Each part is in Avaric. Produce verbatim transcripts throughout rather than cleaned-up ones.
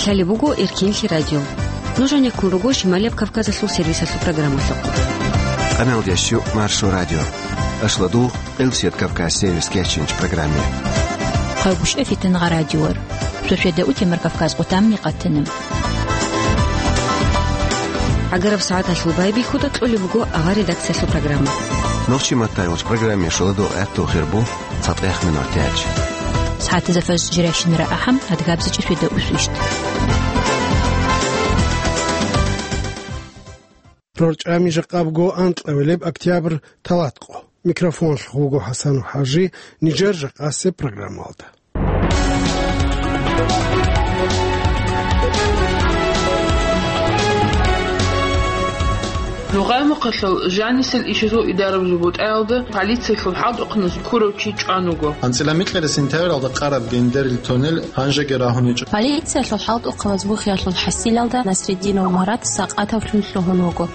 Лъалеб буго Эркинлъи радио. Нуж гьанеккун руго Шималияб Кавказалъул сервисалъул программалъухъ. Къаналдящу Маршо радио. Ашладу Къилсият Кавказ сервис кечинч программе. Хъагушев Фитнагъа радиор. Суседа утемар Кавказ къутамни къатана. Агараб сагӀаталъул байбихьуда кьолеб буго агъа редакциялъул программа. Нохчи маттайгъуч программе шоладу гӀатту хирбу. ЦатӀех минут тяч. СагӀатазда фажр жирайщинара ахӀам, адгабзичӀи светда усвищ. РорчӀами жакъабго анкьавилеб октябрь талатӀкъо. Микрофонлъ вуго ХӀасан ХӀажи, нижер жакъасеб программалда. Ногъай мухъалъал жанисел ишазул идарабазул бутӀаялда полициялъул хӀалтӀухъаназ ккурав чи чӀван вуго. АнцӀила микьила сентябралда къараб Гендерил тоннел гьанжеги рагьун гьечӀо. Полициялъул хӀалтӀухъаназ бухиялъул хӀасилалда Насреддинов Марат сакъатавлъун лъугьун вуго.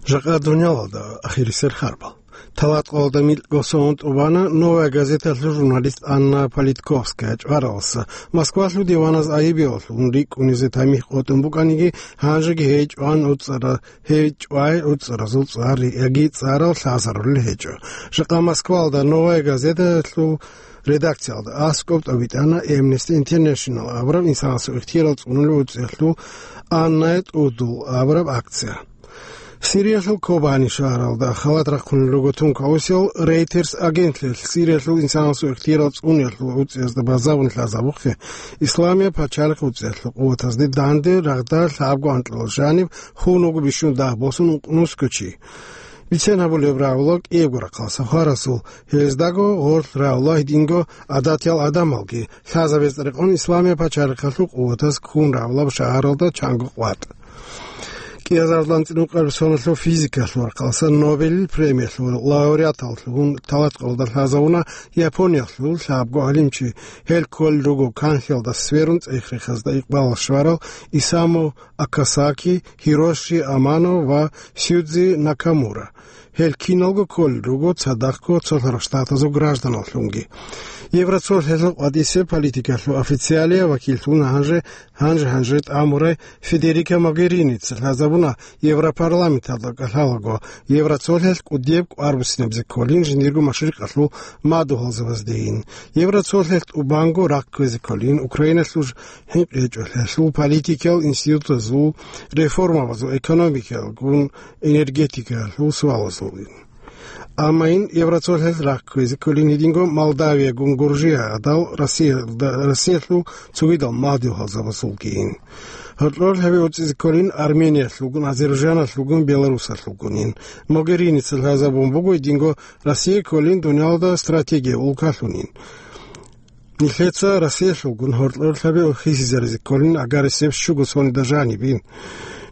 Жакъа дуниялалда ахирисел харбал. Талатъалда микьго сон тӀубана «Новая газеталъул» журналист Анна Политковская чӀваралса. Москвалъул диваназ айибиялъун рикӀкӀунизе тамихӀ къотӀун букӀаниги, гьанжеги гьей чӀван уцӀара-, гьей чӀвай уцӀаразул цӀар яги цӀарал лъазарулел гьечӀо. Жакъа Москвалда «Новая газеталъул» редакциялда аскӀоб тӀобитӀана Amnesty International абураб инсанасул ихтиярал цӀунулев уцӀиялъул Аннае тӀудул абураб акция. Сириялъул Кобани шагьаралда халат рахъунел руго тункаусел Reuters агентлъиялъ Сириялъул инсанасул ихтиярал цӀуниялъул уцӀиязда базабун лъазабухъе, Исламияб пачалихъ уцӀиялъул къуватазде данде рагъда лъабго анкьалал жаниб хун вуго бищун дагь босун ункънусго чи. Бицен гьабулеб рагӀула кӀиябго рахъалъа хварасул, гьездаго гъорлъ рагӀула гьединго гӀадатиял гӀадамалги, лъазабизе рекъон Исламияб пачалихъалъул къуватаз ккун рагӀулаб шагьаралда чанго къватӀ. КӀиазардан цӀинукъаб соналъул физикалъул рахъалъа Нобелил премиялъул лауреаталлъун талатӀкъалда лъазавуна Япониялъул лъабго гӀалимчи, гьел кколел руго канлъиялда сверун цӀех-рехазда икъбал щварал Исаму Акасаки, Хироши Амано ва Сюдзи Накамура. Гьел киналго кколел руго цадахъго цолъарал штатазул гражданаллъунги. Евроцолъиялъул къватӀисеб политикалъул официалияв вакиллъун гьанже, гьанже-гьанже тӀамурай Федерика Могерини цӀалъазабуна Европарламенталда кӀалъалаго, Евроцолъиялъ кӀудияб кӀвар буссинабизе кколин жиндирго машрикъалъул мадугьалзабаздейин. Евроцолъиялъ тӀубанго рахъ кквезе кколин Украиналъул ж-, хӀинкъи гьечӀолъиялъул политикиял институтазул реформабазул, экономикаялгун, энергетикаялъул суалазулин. Амма ин Евроцолъиялъ рахъ кквезе кколин гьединго Молдавиягун, Гуржия гӀадал Россиялда, Россиялъул цогидал мадугьалзабазулгийин. Гьоркьор гьабе уцӀизе кколин Армениялъулгун, Азербайджаналъулгун, Беларусалъулгунин. Могерини цӀалъазабун буго гьединго Россия кколин дуниялда стратегия улкалъунин. Нилъеца Россиялъулгун гьоркьор лъабе хисизаризе кколин агарисеб щуго сонида жанибин.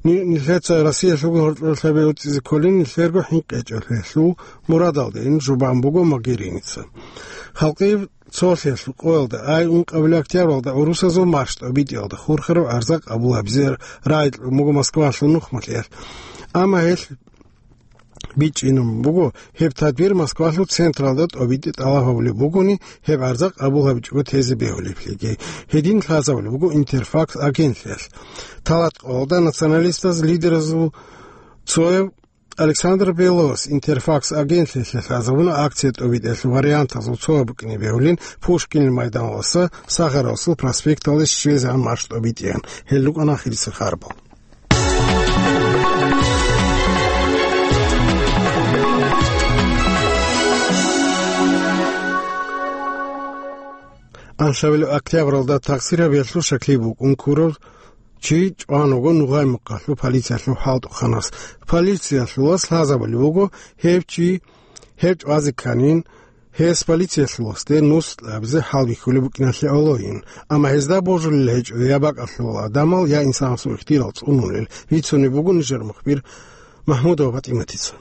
Ни-, нилъеца Россиялъулгун гьоркьор лъабе уцӀизе кколин нилъерго хӀинкъи гьечӀолъиялъул мурадалдейин жубан буго Могереница. Халкъи цолъиялъул къоялда, ай ункъабилеб октябралда гӀурусазул марш тӀобитӀиялда хурхараб гӀарза къабул гьабизе рагӀи кьун буго Москвалъул нухмалъиялъ. Амма гьелъ бичӀчӀинабун буго, гьеб тадбир Москвалъул централда тӀобитӀи тӀалаб гьабулеб бугони, гьеб гӀарза къабул гьабичӀого тезе бегьулеблъиги. Гьедин лъазабулеб буго Интерфакс агентлъиялъ. ТалатӀкъоялда националистаз лидеразул цояб Александр Белос Интерфакс агентлъиялъе лъазабуна акция тӀобитӀиялъул вариантазул цо букӀине бегьулин Пушкинил майданалдаса Сахаровасул проспекталде щвезегӀан марш тӀобитӀеян. Гьел рукӀана ахирисел харбал. Аншавил октябралда тахсир гьабиялъул шаклъи букӀун ккурав чи чӀван вуго Нугъай мухъалъул полициялъул хӀалтӀухъанас. Полициялъулас лъазабулеб буго гьев чи, гьев чӀвазе кканин, гьес полициялъуласде нус кьабизе хӀалбихьулеб букӀиналъе гӀолойин, амма гьезда божулел гьечӀо я бакӀалъул гӀадамал, я инсанасул ихтияр цӀунулел, бицунеб буго нижер мухбир Махмудова ПатӀиматица.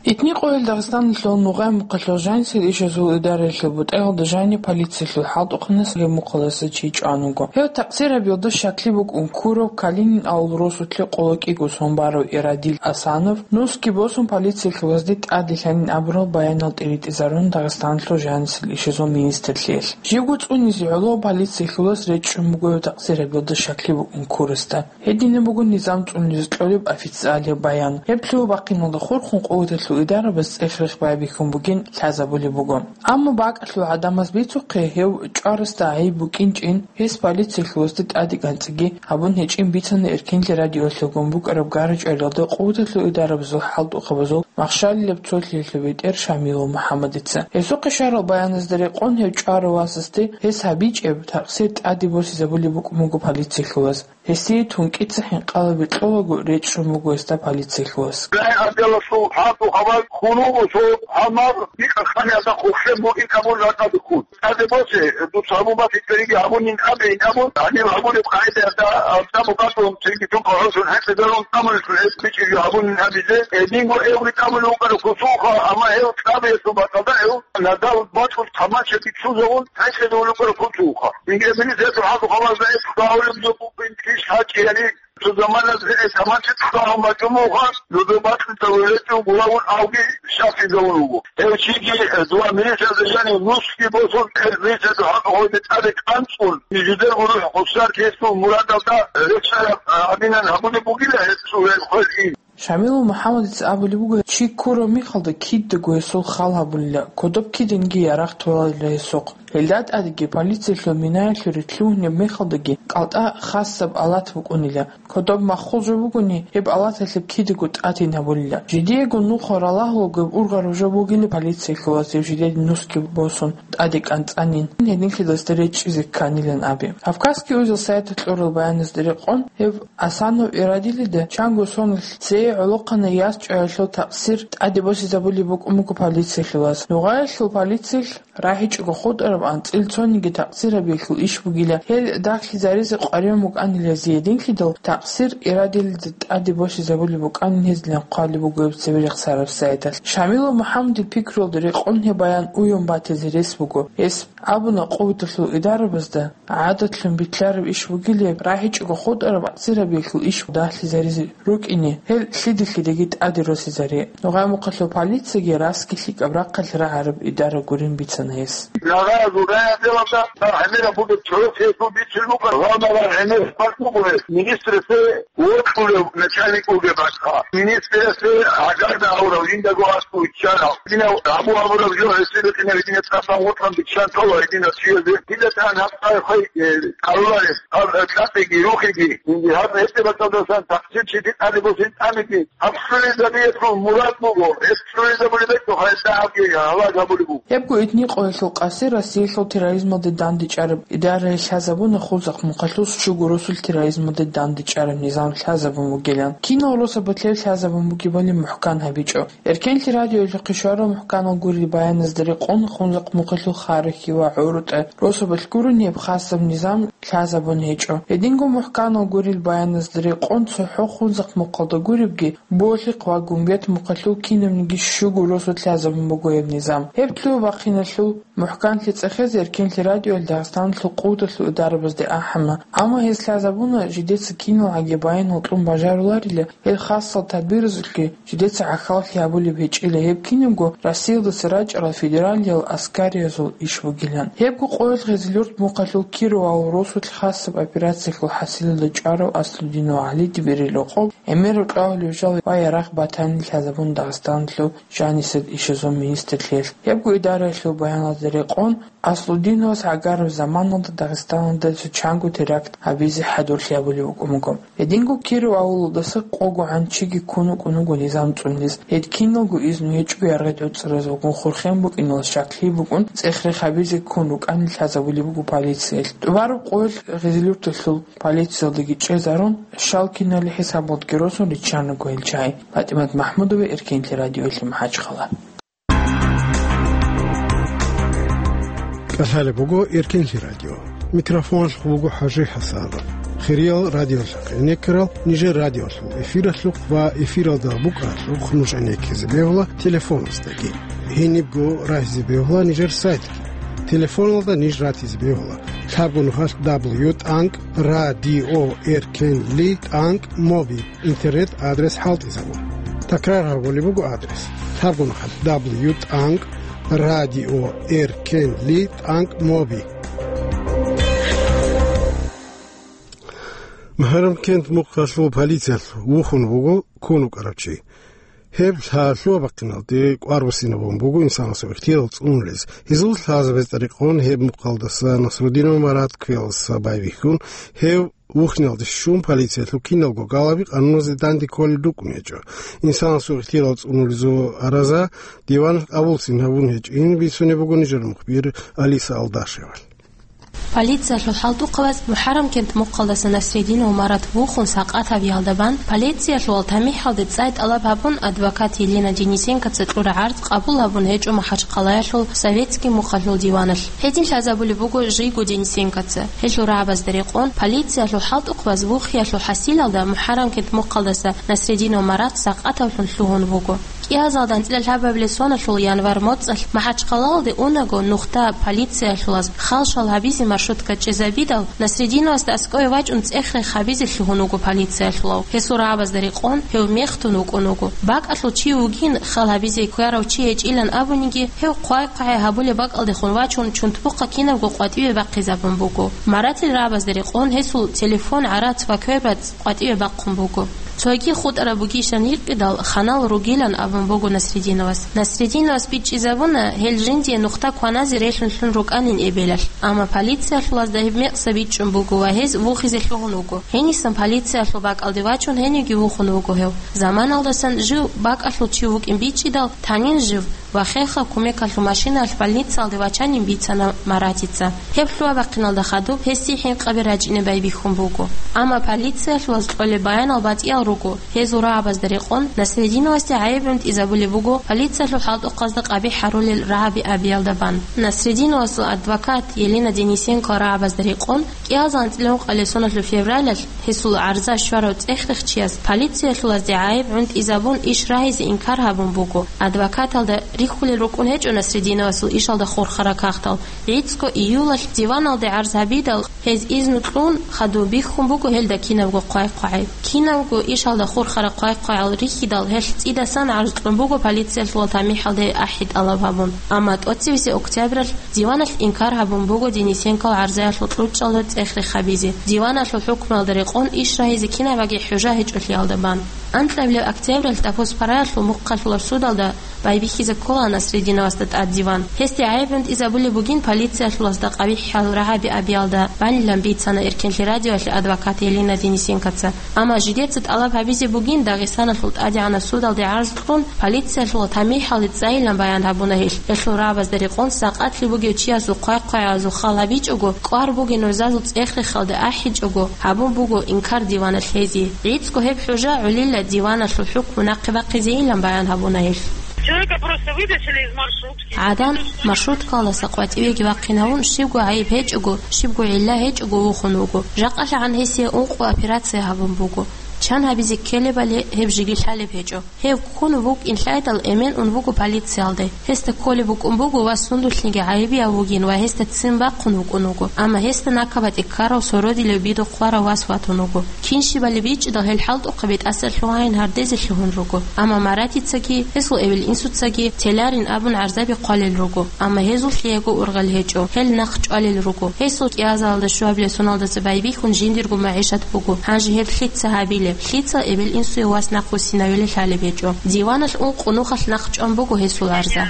Итни къоял Дагъистаналъул нугъай мухъалъул жанисел ишазул идараялъул бутӀаялда жани полициялъул хӀалтӀухъанас гьеб мухъаласа чи чӀван вуго. Гьев такъсир гьабиялда щаклъи букӀун ккурав Калинин авул росулъе къоло кӀиго сон барав Ирадил Асанов нусги босун полициялъулазде тӀаде лъанин абурал баянал тӀиритӀизарун Дагъистаналъул жанисел ишазул министрлъиялъ. Живго цӀунизе гӀоло полициялъулас речӀчӀун буго гьев такъсир гьабиялда щаклъи букӀун ккурасда. Гьединаб буго низам цӀунизе кьолеб официалияб баян. Гьеб лъугьа-бахъиналда хурхун къуваталъул идарабаз цӀех-рех байбихьун бугин лъазабулеб буго. Амма бакӀалъул гӀадамаз бицухъе гьев чӀварасда гӀайиб букӀинчӀин, гьес полициялъулазда тӀаде кӀанцӀиги гьабун гьечӀин бицана Эркенлъи радиоялъулгун букӀараб гара-чӀваралда къуваталъул идарабазул хӀалтӀухъабазул махщалилаб цолъиялъул бетӀер Шамилов МухӀаммадица. Гьесухъе щварал баяназда рекъон гьев чӀварав васасде гьес гьабичӀеб такъсир тӀаде босизабулеб букӀун буго полициялъулаз. Гьесие тункӀица хӀинкъаби кьолаго речӀчӀун буго гьесда полициялъулас. Гай отделалъул хӀалтӀухъабаз хьунул цо гьалмагъ бикъахъаниялда хъухӀлъен бугин абун ракӀалдехун. ТӀаде босе, дуца гьабун батичӀониги гьабунин абейин абун, гьанив гьабулеб къагӀидаялда, гьаб мукъадалъун цинги тункъа гӀолъун хӀинкъизарун тӀамулелъул гьес бичӀчӀизе гьабунин абизе, гьединго эвги тӀамулев вукӀарав кусуха, амма гьев кӀабиялъул бакӀалда гьев надал бачӀун таманчаби чӀузавун хӀинкъизарун вукӀарав кусуха. Инге милициялъул хӀалтӀухъабазда гьес хъвагьулеб жо букӀин киш гьачӀияни, цо заманаялъ гьес таманча цӀалун бачӀун бугоха, нужер бакьулъ тавулечӀев гуравун авги щаклъизавун вуго. Гьев чиги, э, дова милициялда жанив нусги босун, гьез милициялъул хӀалтӀухъабазде тӀаде кӀанцӀун, нижедерго рухӀ хъусар кесул мурадалда речӀчӀараб, э, гьабинан гьабулеб бугила гьесул гьел хвел ин. Шамилов МухӀаммадица абулеб буго, чи ккурав мехалда кидаго гьесул хал гьабулила, кодоб киданги ярагъ толарила гьесухъ. Гьелда тӀадеги полициялъул минаялъуре лъугьунеб мехалдаги кӀалтӀа хасаб алат букӀунила. Кодоб маххул жо бугони, гьеб алаталъе кидаго тӀадин гьабулила. Жидеего нухал ралагьулгеб ургъараб жо бугила полициялъулаз гьев жидеде нусги босун тӀаде кӀанцӀанин, гьединлъидасда речӀчӀизе кканилан абе. Кавказский узел сайталъ кьурал баяназда рекъон, гьев Асанов Ирадилида чанго соналъ цее гӀолохъанай яс чӀваялъул такъсир тӀаде босизабулеб букӀун буго полициялъулаз. Нугъаялъул полициялъ рахӀичӀого хутӀараб анцӀил цониги такъсир гьабиялъул иш бугила, гьел дагълъизаризе къваригӀун букӀанила гьезие, гьединлъидал такъсир Ирадилида тӀаде босизабулеб букӀанин гьезилан хъвалеб буго гьеб цебе рехсараб сайталъ. Шамилов МухӀаммадил пикруялда рекъон гьеб баян уйун батизе рес буго. Гьес абуна къуваталъул идарабазда, гӀадатлъун битӀараб иш бугилеб, рахӀичӀого хутӀараб анцӀил гьабиялъул иш дагълъизаризе рукӀине, гьел лъида-лъидаги тӀаде росизаре. Нугъай мухъалъул полицияги расги лъикӀаб рахъалъ рагӀараб идара гурин бицана гьес. Нагъа Зугай отделалда гӀемераб бугеб чорохъесул бицун букӀа, ва нагъа гӀемер хъван буго гьес, министрасде вокьулев начальник вугеб бакӀ. Министрасде гӀагарда гьавурав жиндаго аскӀов иччарав. Гьединав гьабу гьабураб жо гьесие бикьинаб, гьединаб цӀасан вокьун биччан тола гьединаб чиязе. Дида тан гьаб цӀар хвей, э, кӀалулареб, гьаб, э, кьатӀиги, рухиги. Инги гьаб гьеб бакӀалдасан такъсир чи тӀаде босин тӀамиги. Гьаб цӀунизе гьабиялъул мурад буго, гьеб цӀунизе гьабулеб бетӀухъ гьесда гьабги гьалаг гьабулеб буго. Гьебго итни къоялъул къаси Россиялъул терроризмалде дандечӀараб идараялъ лъазабуна Хунзахъ мухъалъул щуго росулъ терроризмалде дандечӀараб низам лъазабун бугилан. Кинал росабалъ гьеб лъазабун бугебали мухӀкан гьабичӀо. Эркенлъи радиоялъухъе щварал мухӀканал гурел баяназда рекъон Хунзахъ мухъалъул Харухьи ва ГӀуртӀа росабалъ гурони гьеб хасаб низам лъазабун гьечӀо. Гьединго мухӀканал гурел баяназда рекъон цохӀо Хунзахъ мухъалда гуребги, Болъихъ ва Гумбет мухъалъул кинабниги щуго росулъ лъазабун буго гьеб низам. Гьеб лъугьа-бахъиналъул мухӀканлъи цӀехезе Эркенлъи радиоялъ Дагъистаналъул къуваталъул идарабазде ахӀана, амма гьез лъазабуна, жидеца киналгӀаги баянал кьун бажаруларила, гьел хасал тадбирзулъги жидеца гӀахьаллъи гьабулеб гьечӀила, гьеб кинабго Россиялдаса рачӀарал федералиял аскариязул иш бугилан. Гьебго къоялъ Гъизилюрт мухъалъул Кировал росулъ хасаб операциялъул хӀасилалда чӀварав Аслудинов ГӀалиде берел рокъоб гӀемераб кьвагьулеб жал ва ярагъ батани лъазабун Дагъистаналъул жанисел ишазул министрлъиялъ. Гьебго идараялъул баяналда рекъон, Аслудиновас гӀагараб заманалда Дагъистаналда цо чанго теракт гьабизе хӀадурлъи гьабулеб букӀун буго. Гьединго Киров авулалдаса къогогӀан чиги ккун вукӀун вуго низам цӀунизе. Гьед киналго изну гьечӀого яргъи тӀоцӀаразулгун хурхен букӀиналъ щаклъи букӀун, цӀех-рех гьабизе ккун рукӀанин лъазабулеб буго полициялъ. ТӀубараб къоялъ Гъизилюрталъул полициялдаги чӀезарун, щал киналил хӀисабалдги росун риччана гьел чагӀи. ПатӀимат МахӀмудова, Эркенлъи радиоялъ, МахӀачхъала. КӀалъалеб буго Эркенлъи радио. Микрофоналъухъ буго ХӀажи ХӀасан. Хириял радиолъахъ гӀенеккарал, нижер радиолъул эфиралъухъ ва эфиралда букӀаралъухъ нуж гӀенеккизе бегьула телефоназдаги. Гьенибго рагьизе бегьула нижер сайтги. Телефоналда ниж ратизе бегьула: лъабго нухалъ дабл ю тӀанкӀ радио эркенли тӀанкӀ моби интернет-адрес хӀалтӀизабун. Такрар гьабулеб буго адрес: лъабго нухалъ дабл ю тӀанкӀ радио эркенли тӀанкӀ моби. МухӀаррамкент мухъалъул полициялъ вухун вуго ккун вукӀарав чи. Гьеб лъа-, лъугьа-бахъиналде кӀвар буссинабун буго инсанасул ихтияр цӀунулез. Гьезул лъазабазда рекъон гьеб мухъалдаса Насрудинов Марат квералдаса байбихьун, гьев вухиналде щун, полициялъул киналго галаби къануназе данде кколел рукӀун гьечӀо. Инсанасул ихтияр цӀунулезул араза диван къабуллъин гьабун гьечӀин бицунеб буго нижер мухбир Алиса Алдашевалъ. Полициялъул хӀалтӀухъабаз МухӀаррамкент мухъалдаса Насрединов Марат вухун сакъат гьабиялда бан, полициялъул тамихӀалде цӀай тӀалаб гьабун, адвокат Елена Денисенкоца кьураб гӀарз къабул гьабун гьечӀо Махачкъалаялъул Советский мухъалъул диваналъ. Гьедин лъазабулеб буго жийго Денисенкоца. Гьелъул рагӀабазда рекъон, полициялъул хӀалтӀухъабаз вухиялъул хӀасилалда МухӀаррамкент мухъалдаса Насрединов Марат сакъатавлъун лъугьун вуго. КӀиазалда анцӀила лъабабилеб соналъул январь моцӀалъ Махачкъалалде унаго, нухда полициялъулаз халшал гьабизе маршрутка чӀезабидал, Насрединовасда аскӀове вачӀун цӀех-рех гьабизе лъугьун вуго полициялъулав. Гьесул рагӀабазда рекъон, гьев мехтун вукӀун вуго. БакӀалъул чи вугин, хал гьабизе ккарав чи гьечӀилан абуниги, гьев хъвай-хъвагӀай гьабулеб бакӀалдехун вачун, чунтбухъа кинабго къватӀиве бахъизабун буго. Маратил рагӀабазда рекъон, гьесул телефон, гӀарац ва квербацӀ къватӀиве бахъун буго. Цоги хутӀараб бугищан гьикъидал, ханал ругилан абун буго Насрединовас. Насрединовас бичӀчӀизабуна, гьел жиндие нухда кваназе релълъун лъун рукӀанин эбелалъ, амма полициялъулазда гьеб мекъса бичӀчӀун буго ва гьез вухизе лъугьун вуго. Гьенисан полициялъул бакӀалде вачун гьенивги вухун вуго гьев. Заманалдасан жив бакӀалъул чи вукӀин бичӀчӀидал, танин жив ва хехаб кумекалъул машинаялъ больницаялде вачанин бицана Маратица. Гьеб лъугьа-бахъиналда хадуб гьесие хӀинкъаби рачӀине байбихьун буго. Амма полициялъулаз кьолеб баянал батӀиял руго, гьезул рагӀабазда рекъон, Насрединовасде гӀайиб гӀунтӀизабулеб буго полициялъул хӀалтӀухъазда къабихӀ гьарулел рагӀаби абиялда бан. Насрединовасул адвокат Елена Денисенко рагӀабазда рекъон, кӀиазал анцӀила ункъабилеб соналъул февралалъ гьесул гӀарза щварав цӀех-рехчияс полициялъулазде гӀайиб гӀунтӀизабун иш рагьизе инкар гьабун буго. Адвокаталда рихьулел рукӀун гьечӀо Насрединовасул ишалда хурхараб кагътал. ГӀицӀго июлалъ диваналде гӀарз гьабидал, гьез изну кьун, хадуб бихьун буго гьелда кинабго хъвай-хъвагӀи. Кинабго ишалда хурхараб хъвай-хъвагӀал рихьидал, гьелъ цӀидасан гӀарз кьун буго полициялъул тамихӀалде ахӀи тӀалаб гьабун. Амма тӀоцебесеб октябралъ диваналъ инкар гьабун буго Денисенкол гӀарзаялъул кьучӀалда цӀех-рех гьабизе. Диваналъул хӀукмуялда рекъон иш рагьизе кинабаги хӀужа гьечӀолъиялда бан. Анкьабилеб октябралъ Дапус-Параялъул мухъалъулаб судалда байбихьизе ккола Насрединовасда тӀад диван. Гьесде гӀайиб гӀунтӀизабулеб бугин полициялъулазда къабихӀал рагӀаби абиялда банилан бицана Эркенлъи радиоялъе адвокат Елена Денисенкоца. Амма жидеца тӀалаб гьабизе бугин Дагъистаналъул ТӀадегӀанаб судалде гӀарз кьун, полициялъул тамихӀалде цӀайилан баян гьабуна гьелъ. Гьелъул рагӀабазда рекъон сакъатлъи бугев чиясул хъвай-хъвагӀазул хал гьабичӀого, кӀвар бугин рузазул цӀех-рехалде ахӀичӀого, гьабун буго инкар диваналъ гьезие. ГӀицӀго гьеб хӀужа гӀолила диваналъул хӀукму нахъе бахъизейилан баян гьабуна гьелъ. Человека просто вытащили из маршрутки. ГӀадан маршруткалдаса къватӀивеги вахъинавун, щибго гӀайиб гьечӀого, щибго гӀилла гьечӀого вухун вуго. ЖакъалъагӀан гьесие ункъо операция гьабун буго. Чан гьабизе ккелебали гьеб жеги лъалеб гьечӀо. Гьев ккун вукӀин лъайдал, эмен ун вуго полициялде. Гьесда кколеб букӀун буго вас сундулъниги гӀайибияв вугин ва гьесда ццин бахъун вукӀун вуго. Амма гьесда накабатӀи ккарав сородилев бидухъварав вас ватун вуго. Кин щибали бичӀчӀидал гьел хӀалтӀухъаби тӀаса лъугьайин гьардезе лъугьун руго. Амма Маратицаги, гьесул эбел-инсуцаги теларин абун гӀарзаби хъвалел руго. Амма гьезул лъиего ургъел гьечӀо, гьел нахъ чӀвалел руго. Гьесул кӀиазалда щуабилеб соналдаса байбихьун жиндирго магӀишат буго. Гьанже гьеб лъица гьабилеб? Лъица эбел-инсуе вас нахъвуссинавилан лъалеб гьечӀо. Диваналъ ункъо нухалъ нахъ чӀван буго гьесул гӀарза.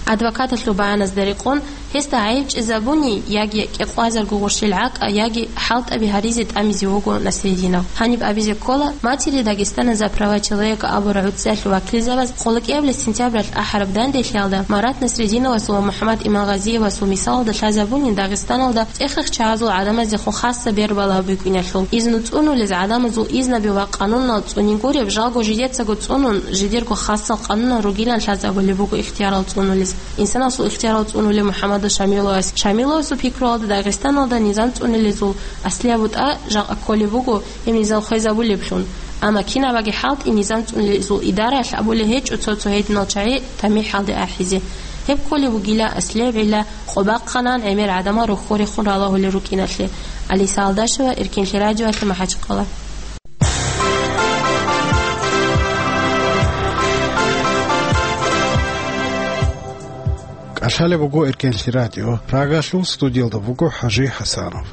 Адвокаталъул баяназда рекъон, гьесда гӀайиб чӀезабуни, яги кӀикъвазарго гъурщил гӀакӀа, яги хӀалтӀаби гьаризе тӀамизе вуго Насрединов. Гьаниб абизе ккола, Матери Дагестана за права человека абураб гӀуцӀиялъул вакилзабаз къолокӀиабилеб сентябралъ ахӀараб данделъиялда Марат Насрединовасул ва МухӀаммад Имангъазиевасул мисалалда лъазабунин Дагъистаналда цӀех-рехчагӀазул гӀадамаздехун хасса бербала букӀиналъул. Изну цӀунулел гӀадамазул изнаби ва къанунал цӀунин гуреб, жалго жидецаго цӀунун, жидерго хасал къанунал ругилан лъазабулеб буго ихтиярал цӀунулез. Инсанасул ихтиярал цӀунулев МухӀаммад Шамиловас. Шамиловасул пикруялда, Дагъистаналда низам цӀунилезул аслияб бутӀа жакъа кколеб буго гьеб низам хвезабулеблъун. Амма кинабаги хӀалтӀи, низам цӀунилезул идараялъ абулеб гьечӀо цо-цо гьединал чагӀи тамихӀалде ахӀизе. Гьеб кколеб бугила аслияб гӀилла къо бахъанан гӀемер гӀадамал рохьорехун ралагьулел рукӀиналъе. Алиса Алдашева, Эркенлъи радиоялъе, МахӀачхъала. КӀалъалеб буго Эркенлъи радио, Прагалъул, студиялда буго ХӀажи ХӀасанов.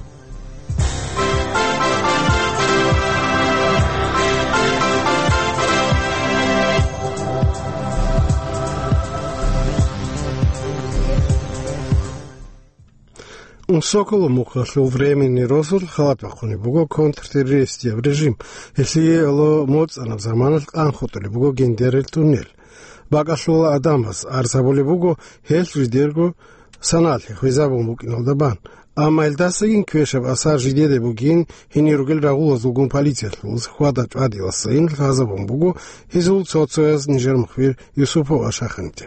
Унсоколо мухъалъул временный росулъ халат бахъунеб буго контртеррористияб режим, гьелъие гӀоло моцӀанаб заманалъ къан хутӀулеб буго Гендерил туннел. БакӀалъула гӀадамаз арзабулеб буго гьелъ жидерго саналъе хвезабун букӀиналда бан. Амма гьелдасагин квешаб асар жидеде бугин, гьенир ругел рагъулазулгун полициялъулаз хьвада-чӀвадиласайин лъазабун буго гьезул цо-цояз нижер мухбир Юсупова Шаханиде.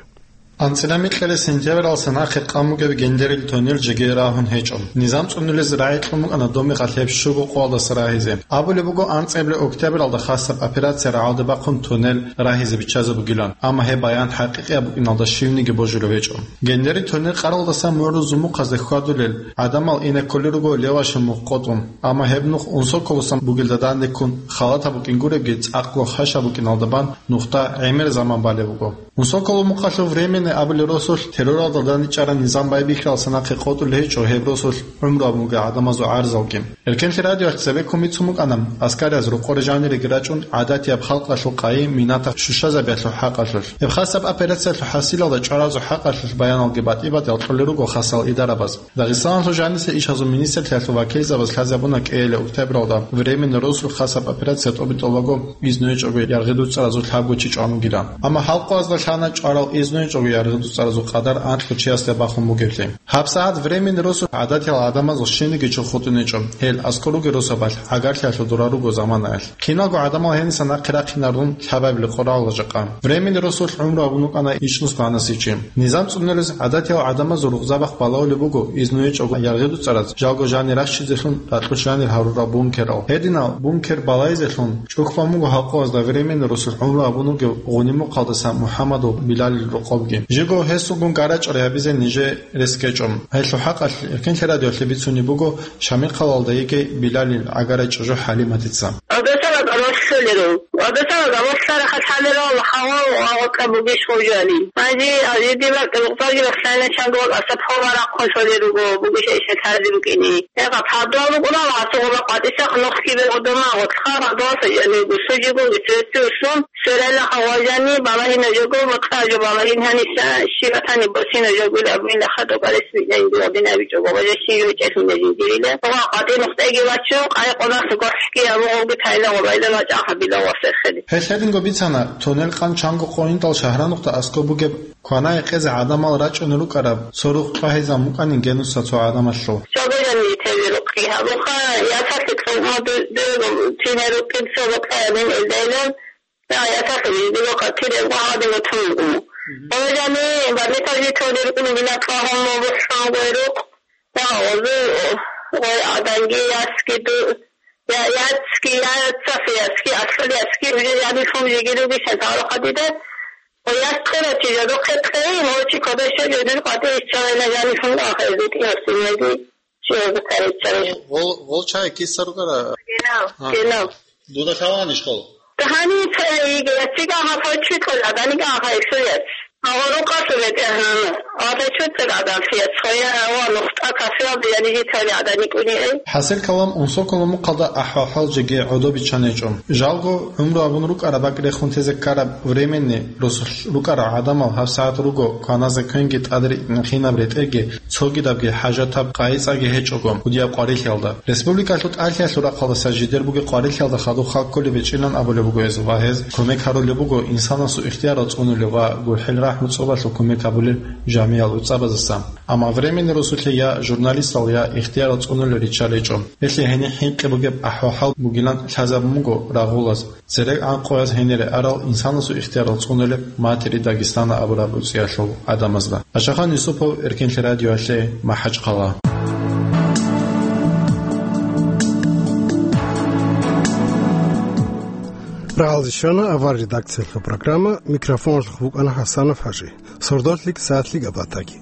АнцӀила микьилеб сентябралдаса нахъе къан бугеб Гендерил туннел жеги рагьун гьечӀо. Низам цӀунулез рагӀи кьун букӀана Домигъалъ гьеб щуго къоялдаса рагьизе. Абулеб буго анцӀила октябралда хасаб операция рагӀалде бахъун туннел рагьизе биччазе бугилан, амма гьеб баян хӀакъикъияб букӀиналда щивниги божулеб гьечӀо. Гендерил туннел къаралдаса мугӀрул зумухъазде хьвадулел гӀадамал ине кколел руго Левашин мухъ къотӀун, амма гьеб нух Унсоколосан бугелда дандеккун халатаб букӀин гуребги, цӀакъго хъашаб букӀиналда бан нухда гӀемер заман балеб буго. Унсоколо мухъалъул временный абулеб росулъ терроралда дандчӀараб низам байбихьалдаса нахъе къотӀулеб гьечӀо гьеб росулъ гӀумруялъ бугел гӀадамазул гӀарзалги. Эркенлъи радиоялъ цебеккун бицун букӀана аскарияб рокъор жаниреги рачӀун гӀадатияб халкъалъул къайи-минаталъ щущазабиялъул хӀакъалъулъ. Гьеб хасаб операциялъул хӀасилалда чӀваразул хӀакъалъулъ баяналги батӀи-батӀиял кьолел руго хасал идарабаз. Дагъистаналъул жаниса ишазул министрлъиялъул вакилзабаз лъазабуна кӀиабилеб октябралда временный росулъ хасаб операция тӀоби-тӀобаго изну гьечӀого яргъи дуцӀаразул лъабго чи чӀван вугилан. Амма халкъазда лъана чӀварал изну гьечӀого яргъи дуцӀаразул къадар анкьго чиясда бахун бугеблъи. ГьабсагӀат временный росулъ гӀадатиял гӀадамазул щибниги чурх хутӀун гьечӀо, гьел аскӀор ругел росабалъ гӀагарлъиялъул дора руго заманаялъ. Киналго гӀадамал гьениса нахъе рахъинарун лъабабилеб къоралда жакъа. Временный росулъ гӀумру гьабун вукӀана ичӀнус кванаси чи. Низам цӀунулез гӀадатиял гӀадамазул рукъзабахъ балагьулеб буго изну гьечӀого яргъи дуцӀараз, жалго жанир рахчизелъун ракьулъ жанир гьарурал бункерал. Гьединал бункер балайзелъун чӀухь бан буго халкъазда временный росулъ гӀумру гьабун вугев Гъунимухъалдаса МухӀаммадул Билалил рокъобги. Жего гьесулгун гарачӀал гьабизе нижер рес ккечӀо. Гьелъул хӀакъалъ Эркенлъи радиоялъе бицунеб буго Шамилхъалалда йигей Билалил гӀагарай чӀужу ХӀалиматица. Гьадасала гӀадамал лъолеро. Гьадасала гӀадамал лъарахъалъалеро, Аллагь гьавал ва гъоркьа бугищ гъужали. Гьанже гьанже дида бакӀ рукъзаги рахълъайна чанго вакӀаса пхола рахъун лъолел руго, бугищ гьечӀеб лъазе букӀине. Гьеб гьаб гьадуал рукӀуна ва гьасул гъоба къватӀиса нухги бегьудома гъотлъха гьадуалса яни гусу жиго гицерци услун, сверайла гьавал жани балагьина жого, бакъа жо балагьин гьаниса, щиб батани босина жогули абунила хадуб алес виънайин дугӀдин абичӀого, ва жо щиб жо чӀехӀуна жиндирила. Ва къватӀи нухтӀайги вачун, къай къонахъ гохӀги абугъавги тайла гъобайла мачӀа гьабила ва сехели. Гьелъ гьединго бицана, туннел къан чанго къойиндал шагьранухъда аскӀоб бугеб квана-гьекъезе гӀадамал рачӀунел рукӀараб цо рухъ чӀвагьизабун букӀанин генусса цо гӀадамалъул. Цо бежани теве рукъги гьабуха, ясалъе цӀума ду-, дуего тине рукъин цо бакӀаябин элдайлан, я, ясалъе жидего къатирего гьадин батун буго. Мгм. Цо бежани баднитал жи толи рукъин бинатла гьуммо бухӀун гой рукъ, я, гъозу гъой гӀаданги ясги ду-, я, яцги, я, яцасе ясги, аслъул ясги, уже яни хум жиги руги сентавра хадида, Къояс ккерачи жодохъе кьей, гьорчи кодеше жодир къватӀи исччалайна жанихун ахӀи, битӀи гьорсинеги чи гьозухъе исччалай. Гъол, гъол чай киса рукӀара? Генав, А. генав. Дуда лъалаан ишкол? Гьани ца-, иге, цига гьафа чуькъул гӀаданига гьафа исуяц. Гьава рукъалъул бетӀергьан, гьафа чуцӀул гӀадан фияц, хоя ва нухтӀа кафеялда яни житали гӀаданикӀуни ай. ХӀасил калам, Унсоколо мухъалда ахӀвал-хӀал жеги гӀодобиччан гьечӀо. Жалго, гӀумру абун рукӀараб бакӀ рехун тезе ккараб временный росулъ рукӀарал гӀадамал гьабсагӀат руго кваназе квенги тӀадритӀинахинаб ретӀелги цогидабги хӀажатаб къайи-цӀаги гьечӀого кӀудияб къварилъиялда. Республикалъул тӀалъиялъул рахъалдаса жидер бугеб къварилъиялда хадуб халкколеб гьечӀилан абулеб буго гьез. Кваназехъинги тӀадри итӀинахинаб ретӀелги цогидабги хӀажатаб къайи-цӀаги гьечӀого кӀудияб къварилъиялда хадуб халкколеб гьечӀилан абулеб буго гьез. Кумек гьарулеб буго инсанасул ихтиярал цӀунулев ва гурхӀел гӀуцӀбалъул кумек гьабулел жамиял гӀуцӀабаздаса. Амма временный росулъе я журналистал, я ихтиярал цӀунулел риччаличӀо. Гьелъие гьениб хӀинкъи бугеб ахӀвал-хӀал бугилан лъазабун буго рагъулаз. Цереган къояз гьенире арал инсанасул ихтиярал цӀунулеб «Матери Дагестана» абураб гӀуцӀиялъул гӀадамазда. Ашахан Юсупов, Эркенлъи радиоялъе, МахӀачхъала. Рагъалде щвана авар редакциялъул программа, микрофоналъухъ букӀана ХӀасанов ХӀажи. Сордолъ лъикӀ, сагӀат лъикӀаб батаги.